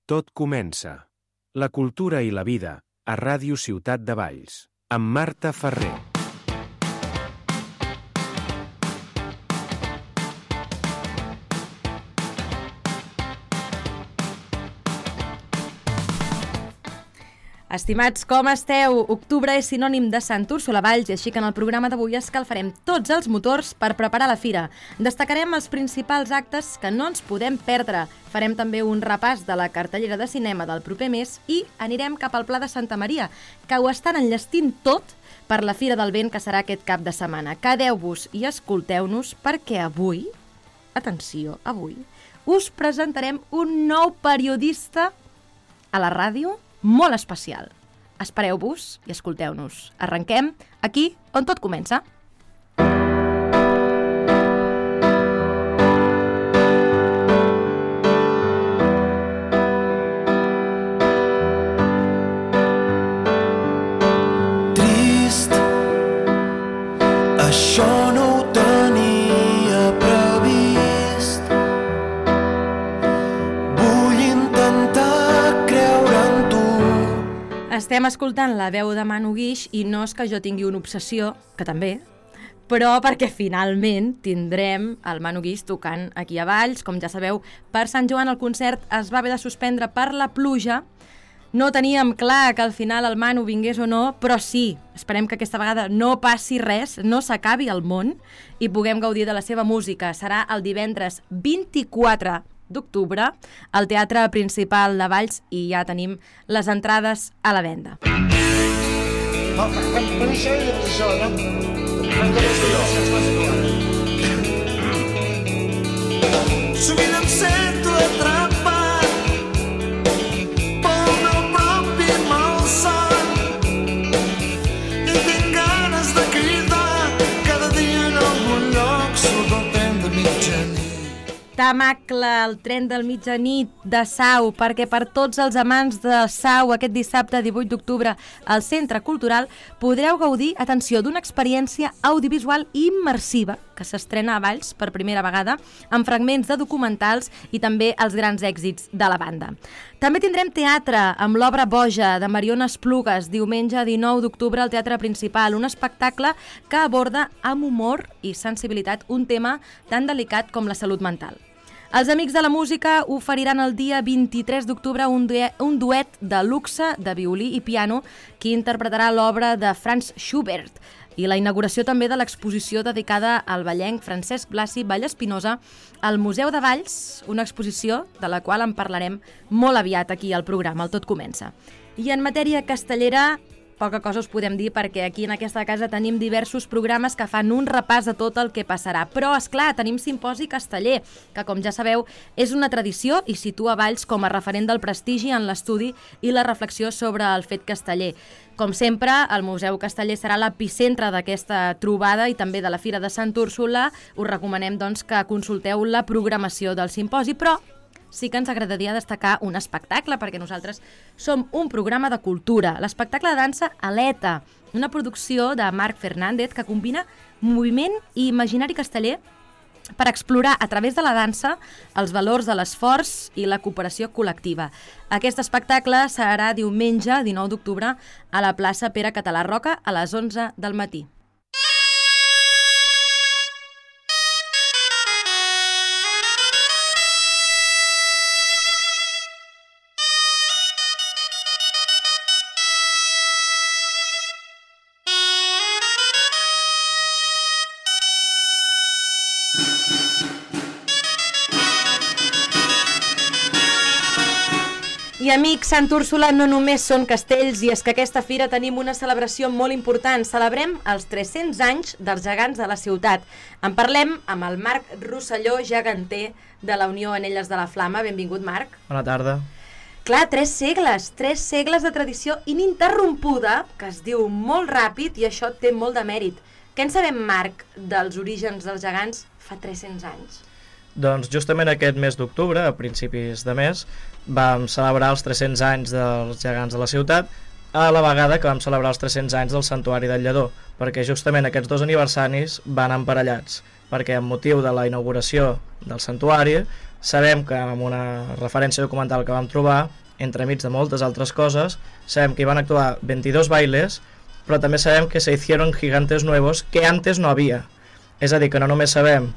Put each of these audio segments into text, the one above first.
Tot comença. La cultura i la vida, a Ràdio Ciutat de Valls, amb Marta Ferrer. Estimats, com esteu? Octubre és sinònim de Sant Úrsula Valls i així que en el programa d'avui escalfarem tots els motors per preparar la fira. Destacarem els principals actes que no ens podem perdre. Farem també un repàs de la cartellera de cinema del proper mes i anirem cap al Pla de Santa Maria, que ho estan enllestint tot per la Fira del Vent que serà aquest cap de setmana. Quedeu-vos i escolteu-nos perquè avui, atenció, avui, us presentarem un nou periodista a la ràdio molt especial. Espereu-vos i escolteu-nos. Arrenquem aquí on tot comença. Trist, això no ho tenia previst. Vull intentar creure en tu. Estem escoltant la veu de Manu Guix i no és que jo tingui una obsessió, que també, però perquè finalment tindrem el Manu Guix tocant aquí a Valls. Com ja sabeu, per Sant Joan el concert es va haver de suspendre per la pluja. No teníem clar que al final el Manu vingués o no, però sí, esperem que aquesta vegada no passi res, no s'acabi el món i puguem gaudir de la seva música. Serà el divendres 24 d'octubre al Teatre Principal de Valls i ja tenim les entrades a la venda. Sovint em sento atrapat pel meu propi malson i tinc ganes de cridar cada dia en algun lloc surt el tren de mitjanit. Tamacle, el tren del mitjanit de Sau, perquè per tots els amants de Sau aquest dissabte 18 d'octubre al Centre Cultural podreu gaudir, atenció, d'una experiència audiovisual immersiva que s'estrena a Valls per primera vegada amb fragments de documentals i també els grans èxits de la banda. També tindrem teatre amb l'obra Boja de Mariona Esplugues, diumenge 19 d'octubre al Teatre Principal, un espectacle que aborda amb humor i sensibilitat un tema tan delicat com la salut mental. Els Amics de la Música oferiran el dia 23 d'octubre un duet de luxe de violí i piano que interpretarà l'obra de Franz Schubert i la inauguració també de l'exposició dedicada al ballenc Francesc Blasi Vallespinosa al Museu de Valls, una exposició de la qual en parlarem molt aviat aquí al programa, el Tot Comença. I en matèria castellera, poca cosa us podem dir perquè aquí en aquesta casa tenim diversos programes que fan un repàs de tot el que passarà. Però, esclar, tenim Simposi Casteller, que com ja sabeu és una tradició i situa Valls com a referent del prestigi en l'estudi i la reflexió sobre el fet casteller. Com sempre, el Museu Casteller serà l'epicentre d'aquesta trobada i també de la Fira de Sant Úrsula. Us recomanem doncs, que consulteu la programació del simposi, però sí que ens agradaria destacar un espectacle, perquè nosaltres som un programa de cultura. L'espectacle de dansa Aleta, una producció de Marc Fernández que combina moviment i imaginari casteller per explorar a través de la dansa els valors de l'esforç i la cooperació col·lectiva. Aquest espectacle serà diumenge 19 d'octubre a la plaça Pere Català Roca a les 11 del matí. I amics, Sant Úrsula no només són castells, i és que aquesta fira tenim una celebració molt important. Celebrem els 300 anys dels gegants de la ciutat. En parlem amb el Marc Rosselló, geganter de la Unió Anelles de la Flama. Benvingut, Marc. Bona tarda. Clar, 3 segles de tradició ininterrompuda, que es diu molt ràpid i això té molt de mèrit. Què en sabem, Marc, dels orígens dels gegants fa 300 anys? Doncs justament aquest mes d'octubre, a principis de mes, vam celebrar els 300 anys dels gegants de la ciutat, a la vegada que vam celebrar els 300 anys del Santuari del Lledó, perquè justament aquests dos aniversaris van emparellats, perquè amb motiu de la inauguració del santuari, sabem que amb una referència documental que vam trobar, entremig de moltes altres coses, sabem que hi van actuar 22 bailes, però també sabem que se hicieron gigantes nuevos que antes no havia. És a dir, que no només sabem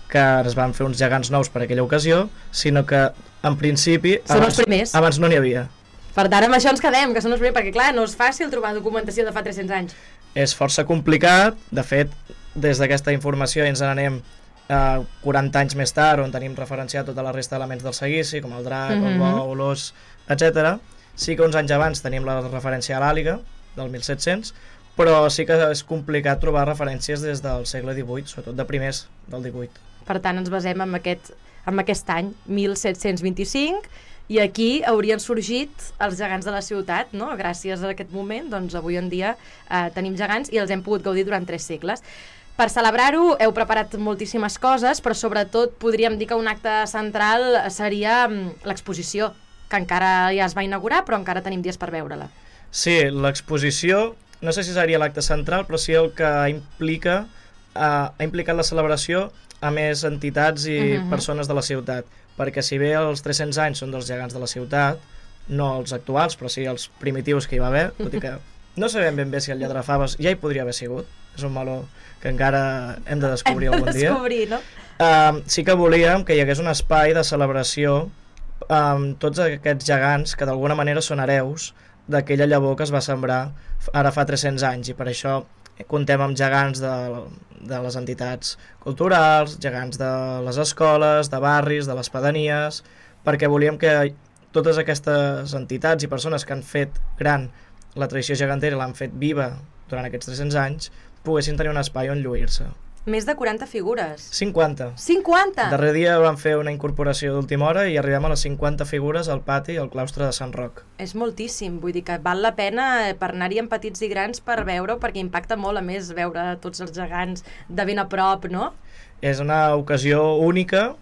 que es van fer uns gegants nous per aquella ocasió, sinó que en principi Són els primers. abans no n'hi havia. Per tant, amb això ens quedem, que són els primers, perquè clar, no és fàcil trobar documentació de fa 300 anys. És força complicat, de fet, des d'aquesta informació ens n'anem 40 anys més tard, on tenim referenciat tota la resta d'elements del seguici, com el drac, el bou, l'os, etc. Sí que uns anys abans tenim la referència a l'àliga, del 1700, però sí que és complicat trobar referències des del segle XVIII, sobretot de primers del XVIII. Per tant, ens basem en aquest any, 1725, i aquí haurien sorgit els gegants de la ciutat, no? Gràcies a aquest moment, doncs avui en dia tenim gegants i els hem pogut gaudir durant 3 segles. Per celebrar-ho heu preparat moltíssimes coses, però sobretot podríem dir que un acte central seria l'exposició, que encara ja es va inaugurar, però encara tenim dies per veure-la. Sí, l'exposició, no sé si seria l'acte central, però sí el que ha implicat la celebració a més entitats i persones de la ciutat, perquè si bé els 300 anys són dels gegants de la ciutat, no els actuals, però sí els primitius que hi va haver, tot i que no sabem ben bé si el Lladrafaves ja hi podria haver sigut, és un meló que encara hem de descobrir algun dia. No? Sí que volíem que hi hagués un espai de celebració amb tots aquests gegants que d'alguna manera són hereus d'aquella llavor que es va sembrar ara fa 300 anys, i per això contem amb gegants de les entitats culturals, gegants de les escoles, de barris, de les pedanies, perquè volíem que totes aquestes entitats i persones que han fet gran la tradició gegantera i l'han fet viva durant aquests 300 anys poguessin tenir un espai on lluir-se. Més de 40 figures. 50. 50? Darrer dia vam fer una incorporació d'última hora i arribem a les 50 figures al pati i al claustre de Sant Roc. És moltíssim, vull dir que val la pena per anar-hi amb petits i grans per veure-ho, perquè impacta molt, a més, veure tots els gegants de ben a prop, no? És una ocasió única,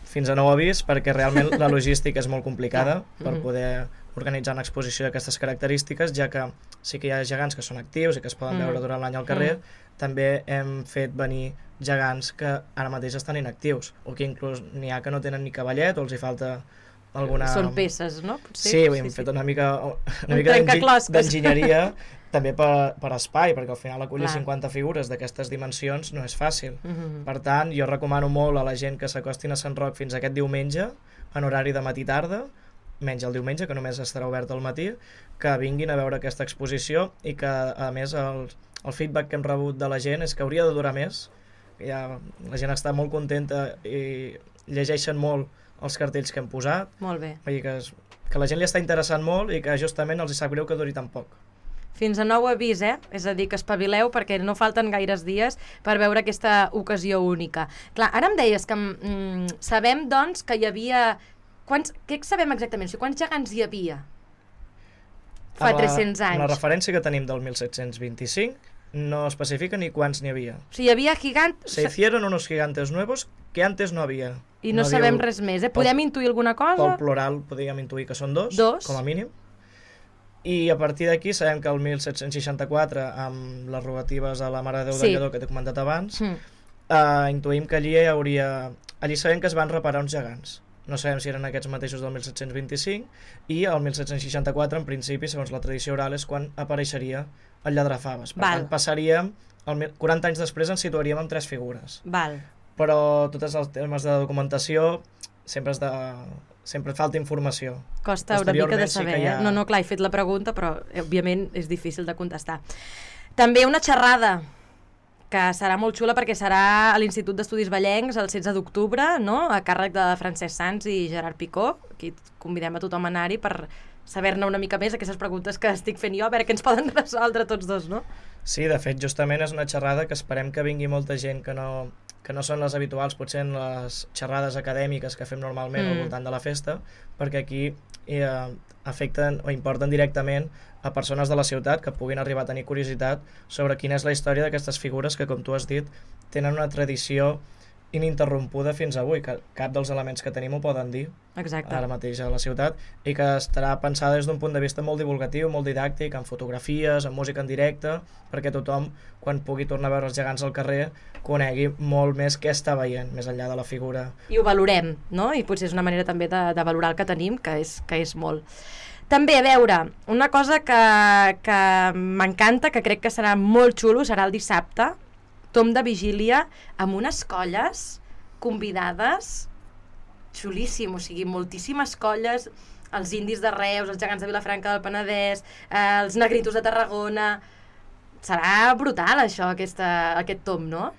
fins a nou avís, perquè realment la logística és molt complicada per poder organitzar una exposició d'aquestes característiques, ja que sí que hi ha gegants que són actius i que es poden veure durant l'any al carrer, també hem fet venir gegants que ara mateix estan inactius, o que inclús n'hi ha que no tenen ni cavallet o els hi falta alguna... Són peces, no? Potser? Sí, hem fet una mica d'enginyeria també per espai, perquè al final acollir 50 figures d'aquestes dimensions no és fàcil. Per tant, jo recomano molt a la gent que s'acostin a Sant Roc fins aquest diumenge, en horari de matí-tarda, menys el diumenge, que només estarà obert al matí, que vinguin a veure aquesta exposició i que, a més, el feedback que hem rebut de la gent és que hauria de durar més. Ja, la gent està molt contenta i llegeixen molt els cartells que hem posat. Molt bé. Vull dir que la gent li està interessant molt i que justament els hi sap greu que duri tan poc. Fins a nou avís, És a dir, que espavileu perquè no falten gaires dies per veure aquesta ocasió única. Clar, ara em deies que sabem, doncs, que hi havia... Què sabem exactament? O sigui, quants gegants hi havia fa 300 anys? La referència que tenim del 1725 no especifica ni quants n'hi havia. O sigui, hi havia gigantes... Se hicieron unos gigantes nuevos que antes no había. I no sabem res més, Podem intuir alguna cosa? Pel plural podríem intuir que són dos, com a mínim. I a partir d'aquí sabem que el 1764, amb les rogatives a la Mare de Déu de Lledó que t'he comentat abans, intuïm que allí sabem que es van reparar uns gegants. No sabem si eren aquests mateixos del 1725, i el 1764, en principi, segons la tradició oral, és quan apareixeria el Lladrafaves. Per tant, passaríem, 40 anys després ens situaríem amb 3 figures. Però tots els temes de documentació sempre falta informació. Costa una mica de saber, No, clar, he fet la pregunta, però òbviament és difícil de contestar. També una xerrada que serà molt xula perquè serà a l'Institut d'Estudis Vallencs el 16 d'octubre, no? A càrrec de Francesc Sans i Gerard Picó. Aquí convidem a tothom a anar-hi per saber-ne una mica més aquestes preguntes que estic fent jo, a veure què ens poden resoldre tots dos, no? Sí, de fet, justament és una xerrada que esperem que vingui molta gent que no són les habituals, potser en les xerrades acadèmiques que fem normalment al voltant de la festa, perquè aquí afecten o importen directament a persones de la ciutat que puguin arribar a tenir curiositat sobre quina és la història d'aquestes figures que, com tu has dit, tenen una tradició ininterrompuda fins avui, que cap dels elements que tenim ho poden dir. Exacte. Ara mateix a la ciutat, i que estarà pensada des d'un punt de vista molt divulgatiu, molt didàctic, amb fotografies, amb música en directe, perquè tothom, quan pugui tornar a veure els gegants al carrer, conegui molt més què està veient, més enllà de la figura. I ho valorem, no? I potser és una manera també de valorar el que tenim, que és molt. També, a veure, una cosa que m'encanta, que crec que serà molt xulo, serà el dissabte, tom de vigília, amb unes colles convidades xulíssim, o sigui, moltíssimes colles, els indis de Reus, els gegants de Vilafranca del Penedès, els negritos de Tarragona. Serà brutal això, aquest tom, no?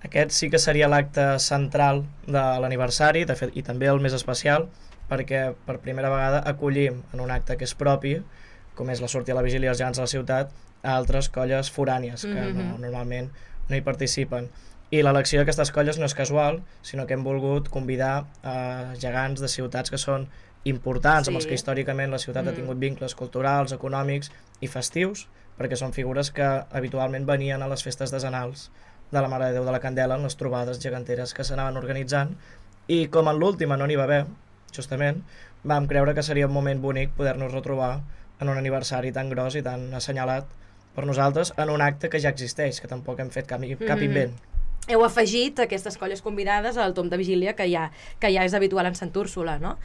Aquest sí que seria l'acte central de l'aniversari, de fet, i també el més especial, perquè per primera vegada acollim en un acte que és propi, com és la sortida a la vigília dels gegants de la ciutat, a altres colles forànies que normalment no hi participen. I l'elecció d'aquestes colles no és casual, sinó que hem volgut convidar gegants de ciutats que són importants, amb els que històricament la ciutat ha tingut vincles culturals, econòmics i festius, perquè són figures que habitualment venien a les festes decenals de la Mare de Déu de la Candela, en les trobades geganteres que s'anaven organitzant, i com en l'última no n'hi va haver, justament, vam creure que seria un moment bonic poder-nos retrobar en un aniversari tan gros i tan assenyalat per nosaltres en un acte que ja existeix, que tampoc hem fet cap invent. Heu afegit aquestes colles convidades al tom de vigília que ja és habitual en Sant Úrsula, no?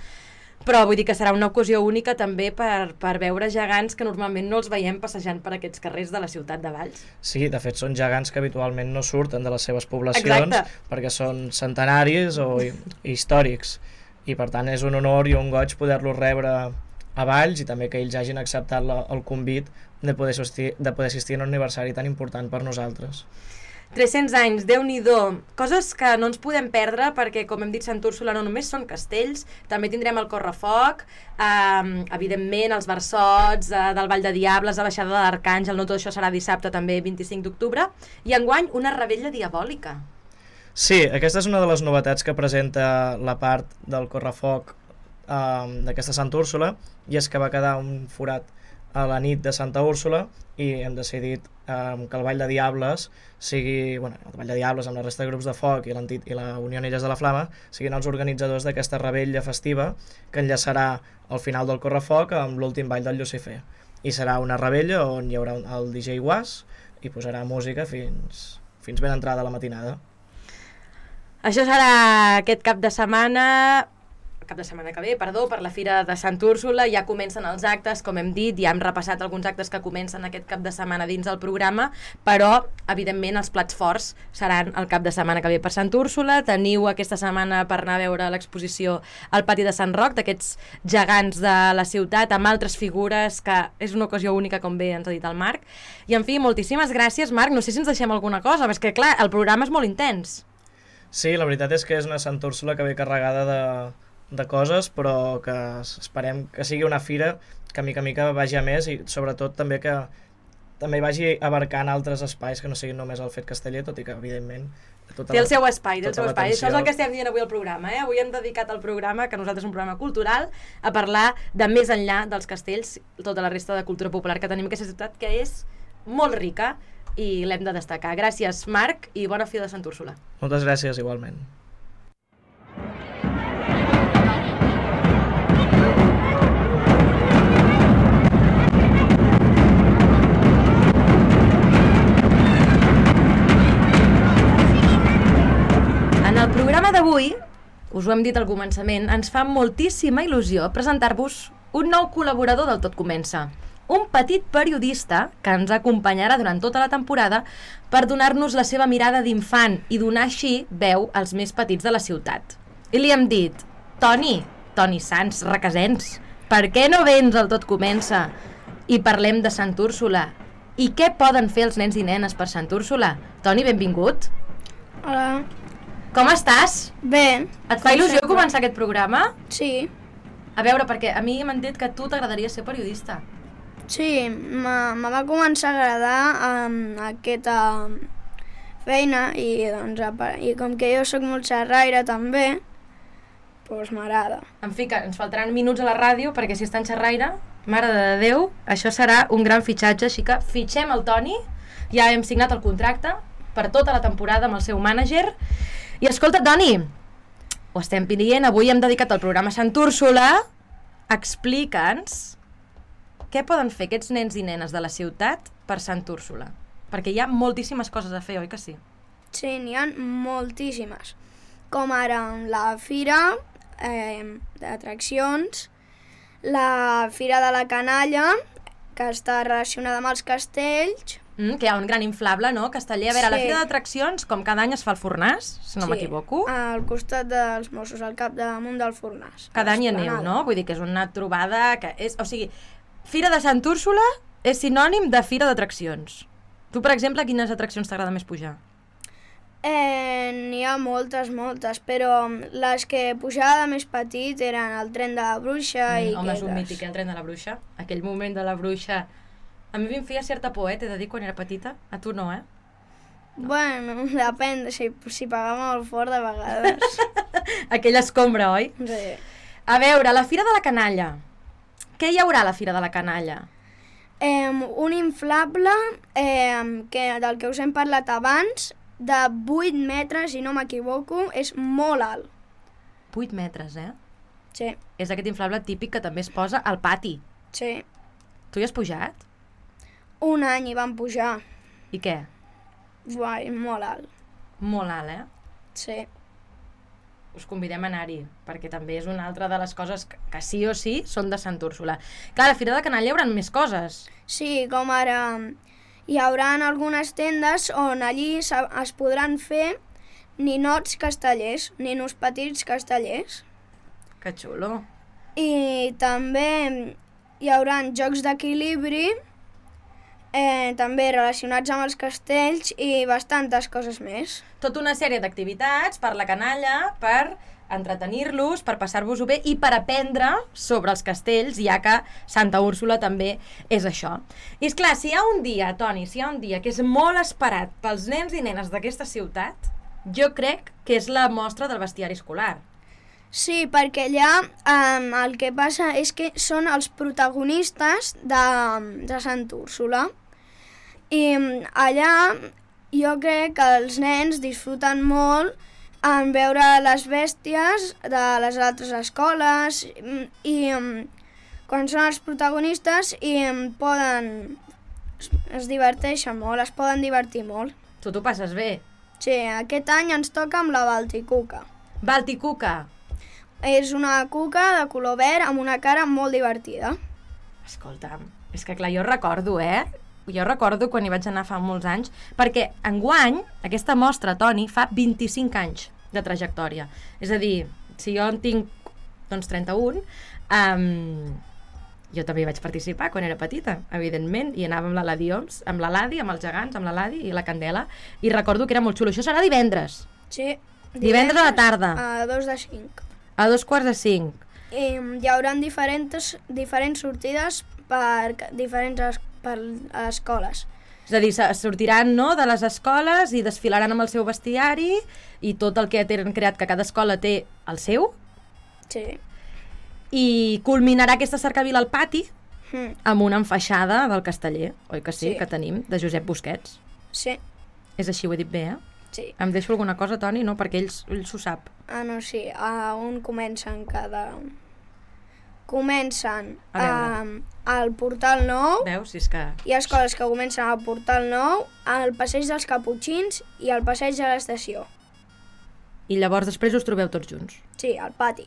Però vull dir que serà una ocasió única també per veure gegants que normalment no els veiem passejant per aquests carrers de la ciutat de Valls. Sí, de fet són gegants que habitualment no surten de les seves poblacions perquè són centenaris o històrics, i per tant és un honor i un goig poder-los rebre a Valls, i també que ells hagin acceptat el convit de poder assistir a un aniversari tan important per nosaltres. 300 anys, Déu-n'hi-do, coses que no ens podem perdre perquè, com hem dit, Sant Úrsula no només són castells, també tindrem el correfoc, evidentment els versots del Vall de Diables, la baixada de l'Arcàngel, no tot això serà dissabte també 25 d'octubre, i enguany una revetlla diabòlica. Sí, aquesta és una de les novetats que presenta la part del correfoc d'aquesta Sant Úrsula, i és que va quedar un forat a la nit de Santa Úrsula i hem decidit que el Vall de Diables sigui, el Vall de Diables amb la resta de grups de foc i la Unió Illes de la Flama siguin els organitzadors d'aquesta revetlla festiva que enllaçarà al final del correfoc amb l'últim ball del Llucifer, i serà una revetlla on hi haurà el DJ Guas i posarà música fins ben entrada la matinada. Això serà aquest cap de setmana que ve, per la Fira de Sant Úrsula. Ja comencen els actes, com hem dit, ja hem repassat alguns actes que comencen aquest cap de setmana dins del programa, però, evidentment, els plats forts seran el cap de setmana que ve per Sant Úrsula. Teniu aquesta setmana per anar a veure l'exposició al pati de Sant Roc, d'aquests gegants de la ciutat, amb altres figures, que és una ocasió única, com bé ens ha dit el Marc. I, en fi, moltíssimes gràcies, Marc. No sé si ens deixem alguna cosa, perquè, és que, clar, el programa és molt intens. Sí, la veritat és que és una Sant Úrsula que ve carregada de coses, però que esperem que sigui una fira que mica a mica vagi a més, i sobretot també que també vagi abarcant altres espais que no siguin només el Fet Casteller, tot i que evidentment té el seu espai, Això és el que estem dient avui al programa, Avui hem dedicat el programa, que nosaltres és un programa cultural, a parlar de més enllà dels castells, tota la resta de cultura popular que tenim en aquesta ciutat, que és molt rica i l'hem de destacar. Gràcies, Marc, i bona Fira de Sant Úrsula. Moltes gràcies, igualment. En el programa d'avui, us ho hem dit al començament, ens fa moltíssima il·lusió presentar-vos un nou col·laborador del Tot Comença, un petit periodista que ens acompanyarà durant tota la temporada per donar-nos la seva mirada d'infant i donar així veu als més petits de la ciutat. I li hem dit, Toni Sans, Requesens, per què no vens al Tot Comença i parlem de Sant Úrsula? I què poden fer els nens i nenes per Sant Úrsula? Toni, benvingut. Hola. Com estàs? Bé. Et fa il·lusió començar aquest programa? Sí. A veure, perquè a mi m'han dit que a tu t'agradaria ser periodista. Sí, me va començar a agradar aquesta feina i com que jo sóc molt xerraire també, doncs m'agrada. En fi, que ens faltaran minuts a la ràdio perquè si està en xerraire, mare de Déu, això serà un gran fitxatge, així que fitxem el Toni, ja hem signat el contracte per tota la temporada amb el seu mànager I escolta, Toni, ho estem dient, avui hem dedicat el programa a Sant Úrsula. Explica'ns què poden fer aquests nens i nenes de la ciutat per Sant Úrsula. Perquè hi ha moltíssimes coses a fer, oi que sí? Sí, n'hi ha moltíssimes. Com ara la fira d'atraccions, la fira de la canalla, que està relacionada amb els castells. Que hi ha un gran inflable, no? Casteller. A veure, la fira d'atraccions, com cada any es fa al Fornàs, si no m'equivoco. Sí, al costat dels Mossos, al capdamunt del Fornàs. Cada any hi aneu, no? Vull dir que és una trobada que és... O sigui, Fira de Sant Úrsula és sinònim de fira d'atraccions. Tu, per exemple, quines atraccions t'agrada més pujar? N'hi ha moltes, però les que pujava de més petit eren el tren de la bruixa i home, és un mític, el tren de la bruixa. Aquell moment de la bruixa... A mi em feia certa por, t'he de dir, quan era petita. A tu no, No. Bueno, depèn, si pagava molt fort de vegades. Aquella escombra, oi? Sí. A veure, la Fira de la Canalla. Què hi haurà a la Fira de la Canalla? Un inflable del que us hem parlat abans, de 8 metres, si no m'equivoco, és molt alt. 8 metres, Sí. És aquest inflable típic que també es posa al pati. Sí. Tu hi has pujat? Un any hi vam pujar. I què? Uai, molt alt. Molt alt, Sí. Us convidem a anar-hi, perquè també és una altra de les coses que sí o sí són de Sant Úrsula. Clar, a la Fira de Canalla hi haurà més coses. Sí, com ara hi haurà algunes tendes on allí es podran fer ninots castellers, ninos petits castellers. Que xulo. I també hi haurà jocs d'equilibri, també relacionats amb els castells i bastantes coses més. Tota una sèrie d'activitats per la canalla, per entretenir-los, per passar-vos-ho bé i per aprendre sobre els castells, ja que Santa Úrsula també és això. I esclar, si hi ha un dia, Toni, que és molt esperat pels nens i nenes d'aquesta ciutat, jo crec que és la mostra del bestiari escolar. Sí, perquè allà el que passa és que són els protagonistes de Sant Úrsula. I allà jo crec que els nens disfruten molt en veure les bèsties de les altres escoles i quan són els protagonistes es diverteixen molt, es poden divertir molt. Tu t'ho passes bé? Sí, aquest any ens toca amb la Balticuca. Balticuca? És una cuca de color verd amb una cara molt divertida. Escolta'm, és que clar, jo recordo, Jo recordo quan hi vaig anar fa molts anys, perquè enguany aquesta mostra, Toni, fa 25 anys de trajectòria. És a dir, si jo en tinc 31, jo també vaig participar quan era petita, evidentment, i anava amb l'Adi-Oms, amb l'Adi, amb els gegants, amb l'Adi i la Candela, i recordo que era molt xulo. Això serà divendres? Sí. Divendres a la tarda? A 2:05. A 2:45. I hi haurà diferents sortides per escoles. És a dir, sortiran de les escoles i desfilaran amb el seu bestiari i tot el que tenen creat, que cada escola té el seu. Sí. I culminarà aquesta cercavila al pati amb una enfaixada del casteller, oi que sí, que tenim, de Josep Busquets. Sí. És així, ho he dit bé, Sí. Em deixo alguna cosa, Toni? No, perquè ell s'ho sap. No, sí, on comencen Comencen al Portal Nou. Veus, si és que... Hi ha escoles que comencen al Portal Nou, al Passeig dels Caputxins i al Passeig de l'Estació. I llavors després us trobeu tots junts? Sí, al pati.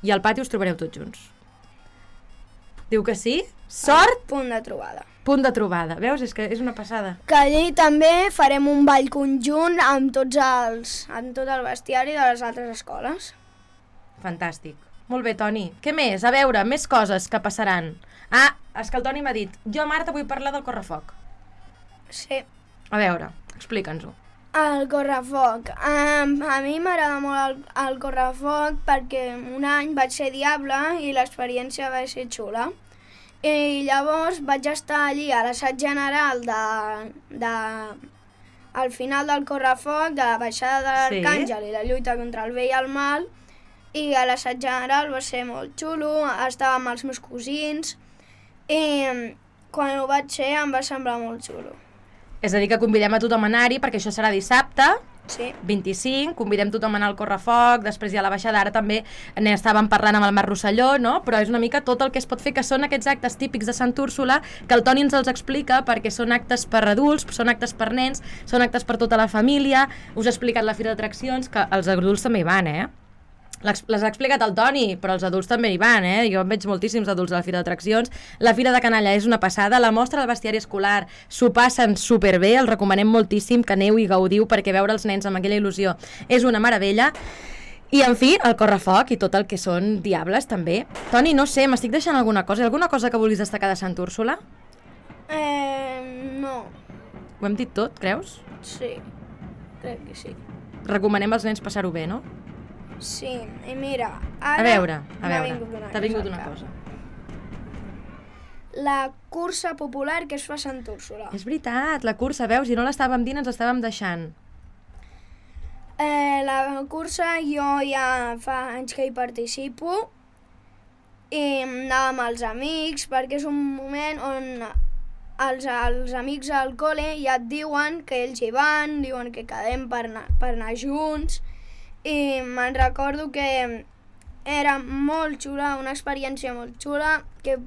I al pati us trobareu tots junts? Diu que sí? Sort! Punt de trobada. Punt de trobada. Veus? És que és una passada. Que allí també farem un ball conjunt amb tot el bestiari de les altres escoles. Fantàstic. Molt bé, Toni. Què més? A veure, més coses que passaran. És que el Toni m'ha dit, jo, Marta, vull parlar del correfoc. Sí. A veure, explica'ns-ho. El correfoc. A mi m'agrada molt el correfoc perquè un any vaig ser diable i l'experiència va ser xula. I llavors vaig estar allí a l'assaig general al final del correfoc, de la baixada de l'Arcàngel i la lluita contra el bé i el mal, i a l'assaig general va ser molt xulo, estava amb els meus cosins i quan ho vaig fer em va semblar molt xulo. És a dir, que convidem a tothom a anar-hi perquè això serà dissabte Sí. 25, convidem tothom a anar al correfoc, després hi ha la baixada, ara també estàvem parlant amb el Marc Rosselló, no? Però és una mica tot el que es pot fer, que són aquests actes típics de Sant Úrsula, que el Toni ens els explica perquè són actes per adults, són actes per nens, són actes per tota la família. Us ha explicat la fira d'atraccions, que els adults també hi van, les ha explicat el Toni, però els adults també hi van, Jo en veig moltíssims adults a la fira d'atraccions. La fira de Canalla és una passada, la mostra del bestiari escolar s'ho passen superbé, els recomanem moltíssim que aneu i gaudiu, perquè veure els nens amb aquella il·lusió és una meravella. I, en fi, el correfoc i tot el que són diables, també. Toni, no sé, m'estic deixant alguna cosa? Alguna cosa que vulguis destacar de Sant Úrsula? No. Ho hem dit tot, creus? Sí, crec que sí. Recomanem als nens passar-ho bé, no? Sí, i mira, ara... A veure, t'ha vingut una cosa. La cursa popular que es fa a Sant Úrsula. És veritat, la cursa, veus? I no l'estàvem dient, ens l'estàvem deixant. La cursa jo ja fa anys que hi participo i anava amb els amics perquè és un moment on els amics al col·le ja et diuen que ells hi van, diuen que quedem per anar junts. I me'n recordo que era molt xula, una experiència molt xula, que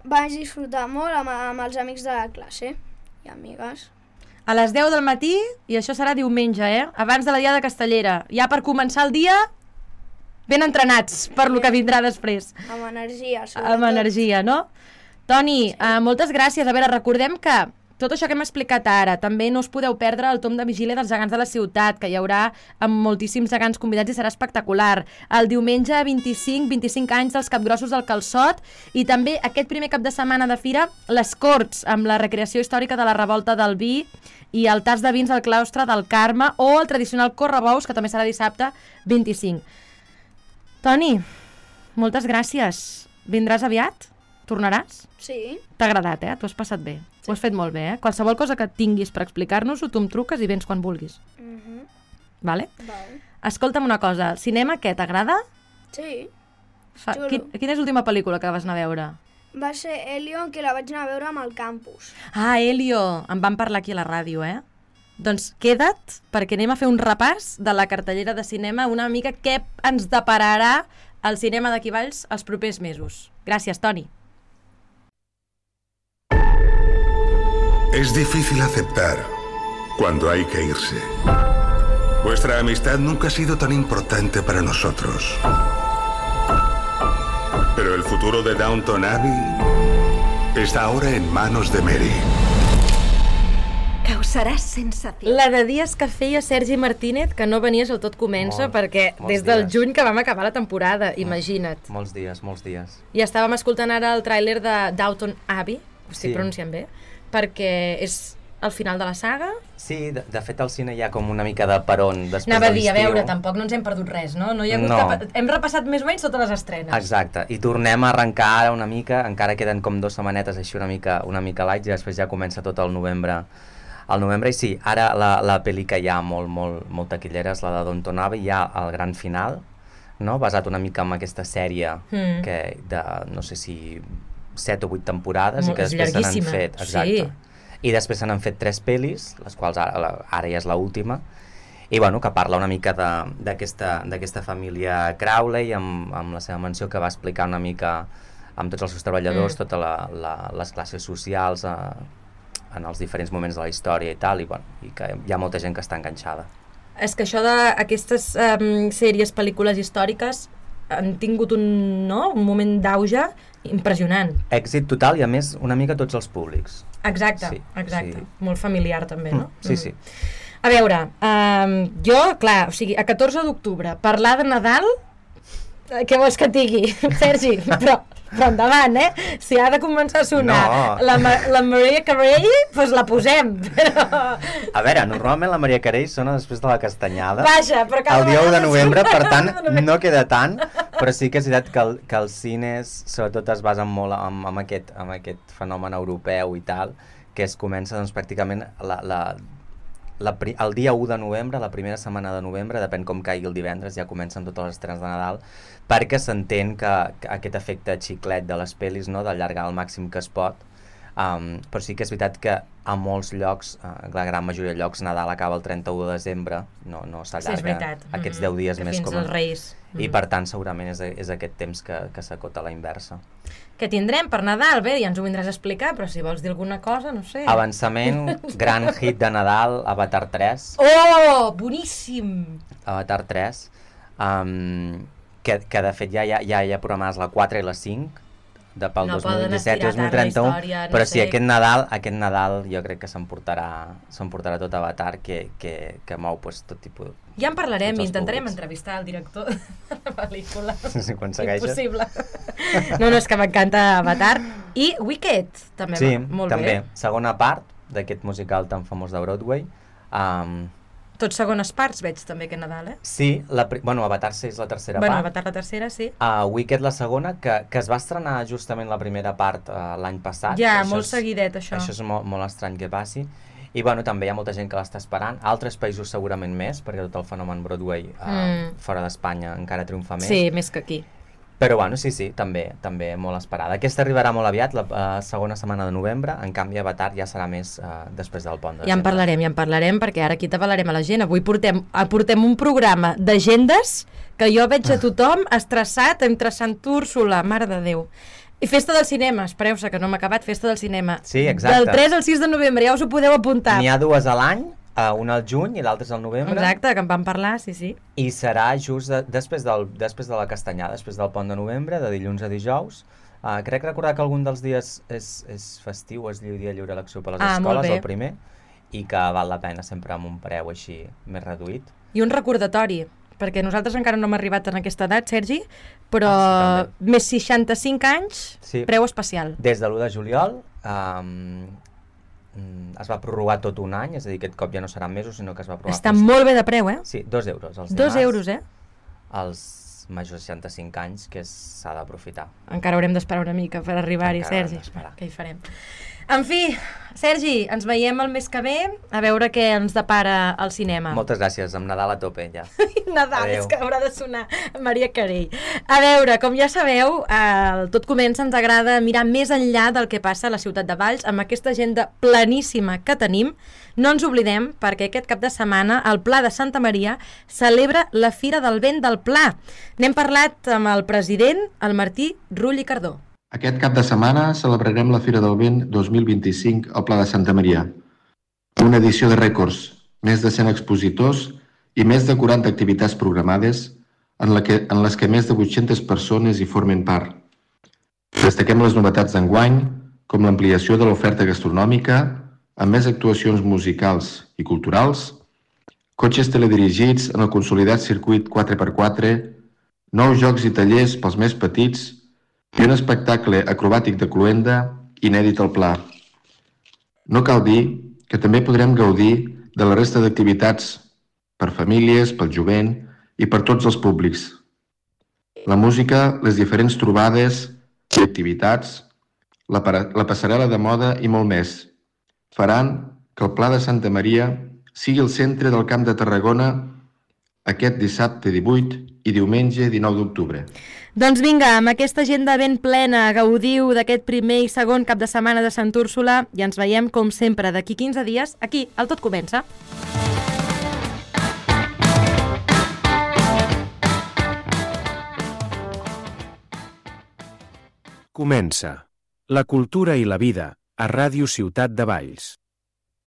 vaig disfrutar molt amb els amics de la classe i amigues. A les 10 del matí, i això serà diumenge, abans de la Diada Castellera. Ja per començar el dia, ben entrenats per lo que vindrà després. Amb energia, sobretot. Amb energia, no? Toni, moltes gràcies. A veure, recordem que tot això que hem explicat ara, també no us podeu perdre el tom de vigília dels gegants de la ciutat, que hi haurà amb moltíssims gegants convidats i serà espectacular. El diumenge 25 anys dels Capgrossos del Calçot, i també aquest primer cap de setmana de fira, les Corts, amb la recreació històrica de la Revolta del Vi i el tas de vins al claustre del Carme, o el tradicional correbous, que també serà dissabte 25. Toni, moltes gràcies. Vindràs aviat? Tornaràs? Sí. T'ha agradat, T'ho has passat bé. Sí. Ho has fet molt bé, Qualsevol cosa que tinguis per explicar-nos-ho, tu em truques i vens quan vulguis. Vale? Vale. Escolta'm una cosa, el cinema què, t'agrada? Sí. Quina és l'última pel·lícula que vas anar a veure? Va ser Helio, que la vaig anar a veure amb el campus. Ah, Helio! En vam parlar aquí a la ràdio, Doncs queda't, perquè anem a fer un repàs de la cartellera de cinema, una mica què ens depararà el cinema d'aquí Valls els propers mesos. Gràcies, Toni. Es difícil aceptar cuando hay que irse. Vuestra amistad nunca ha sido tan importante para nosotros. Pero el futuro de Downton Abbey está ahora en manos de Mary. Causaràs sensació. La de dies que feia Sergi Martínez, que no venies al Tot Comença, perquè des del juny que vam acabar la temporada, imagina't. Molts dies. I estàvem escoltant ara el tràiler de Downton Abbey, ho estic pronunciant bé, perquè és el final de la saga. Sí, de fet al cine hi ha com una mica de peron després de l'estiu. Anava a dir, a veure, tampoc no ens hem perdut res, no? No hi ha hagut hem repassat més o menys totes les estrenes. Exacte, i tornem a arrencar ara una mica, encara queden com 2 setmanetes així una mica light, i després ja comença tot el novembre. I sí, ara la pel·li que hi ha molt taquillera és la de Downton Abbey, hi ha el gran final, no? Basat una mica en aquesta sèrie que de, no sé si 7 o 8 temporades, i que després se n'han fet, exacte. I després se n'han fet 3 pel·lis, les quals ara ja és l'última, i bueno, que parla una mica d'aquesta família Crowley amb la seva mansió, que va explicar una mica amb tots els seus treballadors, totes les classes socials en els diferents moments de la història i tal, i que hi ha molta gent que està enganxada. És que això d'aquestes sèries, pel·lícules històriques han tingut un moment d'auge impressionant. Èxit total, i a més una mica tots els públics. Exacte. Molt familiar també, no? Sí. A veure, jo, clar, o sigui, a 14 d'octubre, parlar de Nadal, què vols que et digui, Sergi? Però endavant, si ha de començar a sonar la Mariah Carey, doncs la posem, però... A veure, normalment la Mariah Carey sona després de la castanyada. Vaja, però cada el dia 1 de novembre, per tant, no queda tant, però sí que és veritat que els cines, sobretot, es basen molt en aquest fenomen europeu i tal, que es comença, doncs, pràcticament el dia 1 de novembre, la primera setmana de novembre, depèn com caigui el divendres, ja comencen totes les estrenes de Nadal, perquè s'entén que aquest efecte xiclet de les pel·lis, no, d'allargar al màxim que es pot, Però sí que és veritat que a molts llocs, la gran majoria de llocs, Nadal acaba el 31 de desembre, no s'allarga aquests 10 dies més com els Reis. I per tant segurament és aquest temps que s'acota a la inversa. Què tindrem per Nadal? Bé, ja ens ho vindràs a explicar, però si vols dir alguna cosa, no sé. Avançament, gran hit de Nadal, Avatar 3. Oh, boníssim! Avatar 3, que de fet ja hi ha programades la 4 i la 5, pel 2017-2031, però sí, aquest Nadal jo crec que s'emportarà tot Avatar, que mou tot tipus... Ja en parlarem i intentarem entrevistar el director de la pel·lícula. Si ho aconsegueixes. Impossible. No, és que m'encanta Avatar. I Wicked, també va molt bé. Sí, també. Segona part d'aquest musical tan famós de Broadway. Tots segones parts veig també aquest Nadal, Sí, Avatar és la tercera part. Avatar la tercera, sí. Wicked la segona, que es va estrenar justament la primera part l'any passat. Ja, molt seguidet, això. Això és molt estrany que passi. I també hi ha molta gent que l'està esperant. Altres països segurament més, perquè tot el fenomen Broadway fora d'Espanya encara triomfa més. Sí, més que aquí. Però sí, també molt esperada. Aquesta arribarà molt aviat, la segona setmana de novembre, en canvi Avatar ja serà més després del pont de desembre. Ja en parlarem, perquè ara aquí t'avalarem a la gent. Avui portem un programa d'agendes que jo veig a tothom estressat entre Sant Úrsula, mare de Déu. I Festa del Cinema, espereu-se que no m'ha acabat, Festa del Cinema. Sí, exacte. Del 3 al 6 de novembre, ja us ho podeu apuntar. N'hi ha 2 a l'any, una al juny i l'altra és al novembre. Exacte, que en vam parlar, sí. I serà just després de la Castanyada, després del pont de novembre, de dilluns a dijous. Crec recordar que algun dels dies és festiu, és dia lliure elecció per les escoles, el primer, i que val la pena sempre amb un preu així més reduït. I un recordatori, perquè nosaltres encara no hem arribat en aquesta edat, Sergi, però més 65 anys, preu especial. Des de l'1 de juliol es va prorrogar tot un any, és a dir, aquest cop ja no seran mesos, sinó que es va prorrogar... Està molt bé de preu, Sí, 2 euros. 2 euros, Els majors de 65 anys, que s'ha d'aprofitar. Encara haurem d'esperar una mica per arribar-hi, Sergi. Què hi farem? En fi, Sergi, ens veiem el mes que ve, a veure què ens depara al cinema. Moltes gràcies, amb Nadal a tope, ja. Nadal, adeu. És que haurà de sonar Maria Carey. A veure, com ja sabeu, Tot Comença ens agrada mirar més enllà del que passa a la ciutat de Valls, amb aquesta agenda planíssima que tenim. No ens oblidem, perquè aquest cap de setmana el Pla de Santa Maria celebra la Fira del Vent del Pla. N'hem parlat amb el president, el Martí Rull i Cardó. Aquest cap de setmana celebrarem la Fira del Vent 2025 al Pla de Santa Maria. Una edició de rècords, més de 100 expositors i més de 40 activitats programades en les que més de 800 persones hi formen part. Destaquem les novetats d'enguany, com l'ampliació de l'oferta gastronòmica, amb més actuacions musicals i culturals, cotxes teledirigits en el consolidat circuit 4x4, nous jocs i tallers pels més petits i un espectacle acrobàtic de cloenda inèdit al Pla. No cal dir que també podrem gaudir de la resta d'activitats per famílies, pel jovent i per tots els públics. La música, les diferents trobades i activitats, la passarel·la de moda i molt més faran que el Pla de Santa Maria sigui el centre del Camp de Tarragona aquest dissabte 18 i diumenge 19 d'octubre. Doncs vinga, amb aquesta agenda ben plena, gaudiu d'aquest primer i segon cap de setmana de Sant Úrsula i ens veiem, com sempre, d'aquí 15 dies, aquí, al Tot Comença. Comença. La cultura i la vida, a Ràdio Ciutat de Valls.